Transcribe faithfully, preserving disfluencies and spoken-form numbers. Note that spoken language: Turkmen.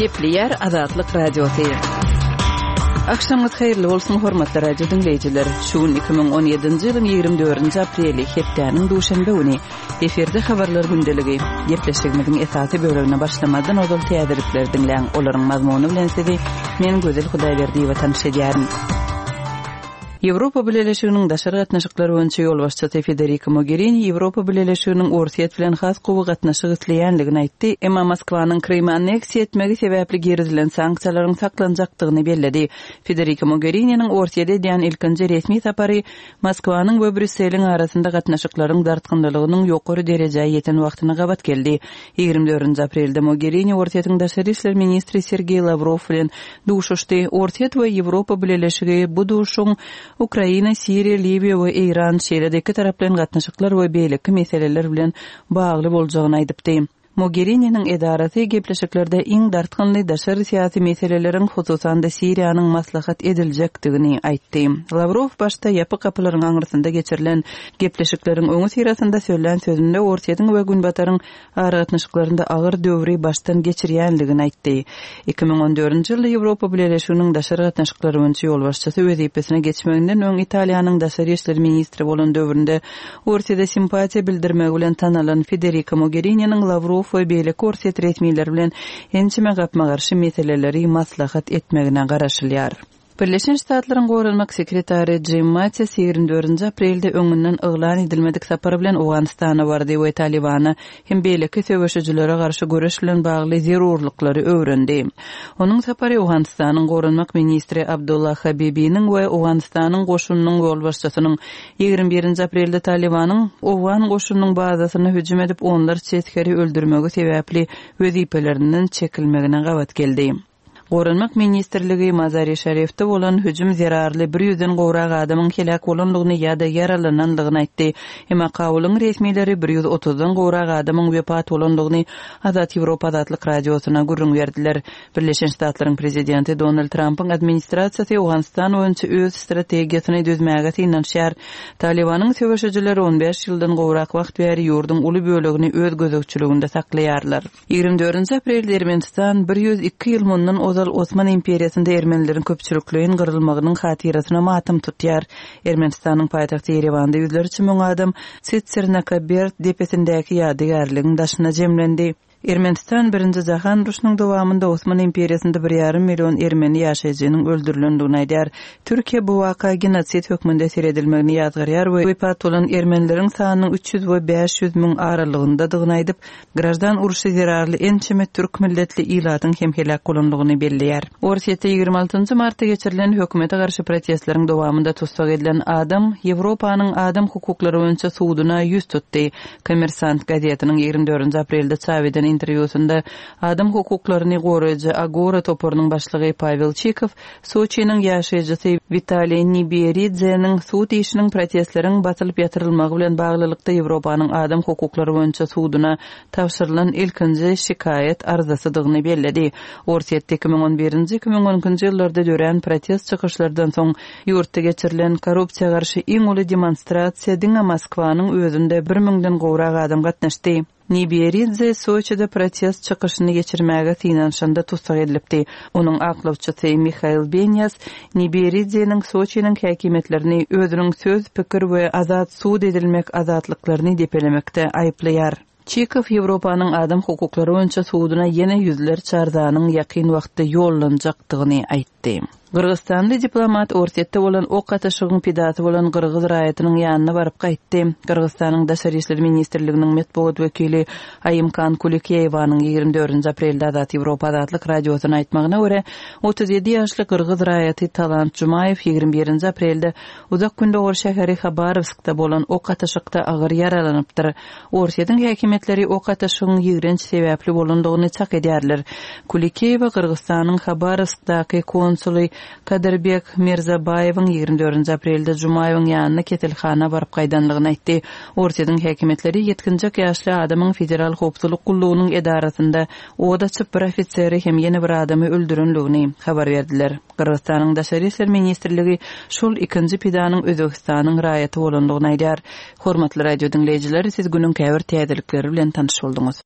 Gepleýär Azatlyk Radiosy. Agşamyňyz haýyrly bolsun, hormatly radio diňleýjiler. Şu gün iki müň on ýedinji ýylyň ýigrimi dördünji apreli, hepdäniň duşenbe güni. Efirde habarlar gündeligi. Gepleşigimiziň esasy bölegine başlamazdan ozal täzelikleri diňläň. Olaryň mazmuny bilen sizi men Gözel Hudaýberdiýewa tanyş edýärin. Ýewropa Bileleşiginiň daşary gatnaşyklar boýunça ýolbaşçysy Federica Mogherini Ýewropa Bileleşiginiň Orsýet bilen has gowy gatnaşyk isleýänligini aýtdy, emma Moskwanyň Krymy anneksiýa etmegi sebäpli girizilen sanksiýalaryň saklanjakdygyny belledi. Federica Mogherininiň Orsýete edýän ilkinji resmi sapary Moskwanyň we Brýusseliň arasynda gatnaşyklaryň dartgynlylygynyň ýokary derejä ýeten wagtyna gabat geldi. Ýigrimi dördünji aprelde Mogherini Orsýetiň daşary işler ministri Sergeý Lawrow bilen duşuşdy. Orsýet we Ýewropa Bileleşigi bu duşuşygyň Ukraina, Siriýa, Liwiýa we Eýran, şeýle-de iki taraplaýyn gatnaşyklar we beýleki meseleler bilen bagly boljagyny aýdypdy. Mogherininiň edarasy gepleşiklerde iň dartgynly daşary syýasy meseleleriň, hususan-da Siriýanyň maslahat ediljekdigini aýtdy. Lawrow başda ýapyk gapylaryň aňyrsynda geçirilen gepleşikleriň öňi syrasynda söylän sözünde Orsýetiň we Günbataryň aragatnaşyklarynda agyr döwri başdan geçirýänligini aýtdy. Iki müň on dördünji ýylda Ýewropa Bileleşiginiň daşary gatnaşyklary boýunça ýolbaşçysy wezipesine geçmeginden öň Italiýanyň daşary işler ministri bolan döwründe Orsýete simpatiýa bildirmegi bilen tanalan Federica Mogherininiň Lawrow we beýleki Orsýet resmileri bilen ençeme gapma-garşy meseleleri maslahat etmegine garaşylýar. Birleşen Ştatlaryň Goranmak sekretary Jim Mattis ýigrimi dördünji aprelde öňünden yglan edilmedik sapar bilen Owganystana bardy we Talibana hem beýleki söweşijilere garşy göreş bilen bagly zerurlyklary öwrendi. Onuň sapary Owganystanyň Goranmak ministri Abdullah Habibiniň we Owganystanyň goşunynyň ýolbaşçysynyň ýigrimi birinji aprelde Talibanyň Owgan goşunynyň bazasyna hüjüm edip onlarça esgeri öldürmegi sebäpli wezipelerinden çekilmegine gabat geldi. Goranmak ministrligi Mazari Şarifde bolan hüjüm zerarly bir ýüzden gowrak adamyň heläk bolanlygyny ýa-da ýaralananlygyny aýtdy. Emma Kabulyň resmileri bir ýüz otuzdan gowrak adamyň wepat bolanlygyny Azat Ýewropa Azatlyk Radiosyna gürrüň berdiler. Birleşen Ştatlaryň prezidenti Donald Trumpyň administrasiýasy Owganystan boýunça öz strategiýasyny düzmäge synanyşýar. Talibanyň söweşijileri on bäş ýyldan gowrak wagt bäri ýurduň uly bölegini öz gözegçiliginde saklaýarlar. Ýigrimi dördünji aprelde Ermenistan bir ýüz iki ýyl mundan ozal Osman imperiýasynda ermenileriň köpçülikleýin gyrylmagynyň hatyrasyna matam tutýar. Ermenistanyň paýtagty Ýerewanda ýüzlerçe müň adam Tsitsernakaberd depesindäki ýadygärligiň daşyna jemlendi. Ermenistan birinji jahan urşunyň dowamynda Osman imperiýasynda bir ýarym million ermeni ýaşaýjynyň öldürilendigini aýdýar. Türkiýe bu waka genosid hökmünde seredilmegini ýazgarýar we wepat bolan ermenileriň sanynyň üç ýüz we bäş ýüz müň aralygyndadygyny aýdyp, grajdan urşy zerarly ençeme türk milletli ilatyň hem heläk bolandygyny belleýär. Orsýetde ýigrimi altynjy martda geçirilen hökümete garşy protestleriň dowamynda tussag edilen adam Ýewropanyň adam hukuklary boýunça suduna ýüz tutdy. Kommersant gazetiniň ýigrimi dördünji aprelde çap eden interwýusynda adam hukuklaryny goraýjy Agora toparynyň başlygy Pavel Çikow Soçiniň ýaşaýjysy Witaliý Niberidzeniň sud işiniň protestleriň basylyp ýatyrylmagy bilen baglylykda Ýewropanyň adam hukuklary boýunça suduna tabşyrylan ilkinji şikaýat arzasydygyny belledi. Orsýetde iki müň on birinji, iki müň on ikinji ýyllarda dörän protest çykyşlardan soň ýurtda geçirilen korrupsiýa garşy iň uly demonstrasiýa diňe Moskwanyň özünde bir müňden gowrak adam gatnaşdy. Niberidze Soçide protest çykyşyny geçirmäge synanyşanda tussag edilipdi. Onuň aklawçysy Mihail Benýas Niberidzeniň Soçiniň häkimiýetlerini özüniň söz, pikir we azat sud edilmek azatlyklaryny depelemekde aýyplaýar. Çikow Ýewropanyň adam hukuklary boýunça suduna ýene ýüzlerçe arzanyň ýakyn wagtda ýollanjakdygyny aýtdy. Gyrgyzystanly diplomat Orsýetde bolan ok atyşygyň pidasy bolan gyrgyz raýatynyň ýanyna baryp gaýtdy. Gyrgyzystanyň Daşary işler ministrliginiň metbugat wekili Aýymkan Kulikeýewanyň ýigrimi dördünji aprelde Azat Ýewropa Azatlyk Radiosyna aýtmagyna görä, otuz ýedi ýaşly gyrgyz raýaty Talant Jumaýew ýigrimi birinji aprelde Uzak Gündogar şäheri Habarovskda bolan ok atyşykda agyr ýaralanypdyr. Orsýetiň häkimiýetleri ok atyşygyň ýigrenç sebäpli bolandygyny çak edýärler. Kulikeýewa Gyrgyzystanyň Habarovskdaky konsuly Kadyrbek Mirzabaýewiň ýigrimi dördünji aprelde Jumaýewiň ýanyna keselhana baryp gaýdanlygyny aýtdy. Orsýetiň häkimiýetleri ýetginjek ýaşly adamyň Federal Howpsuzlyk gullugynyň edarasynda od açyp bir ofiseri hem ýene bir adamy öldürenligini habar berdiler. Gyrgyzystanyň Daşary işler ministrligi şol ikinji pidanyň Özbekistanyň raýaty bolandygyny aýdýar. Hormatly radio diňleýjiler, siz günüň käbir täzelikleri bilen tanyş bolduňyz.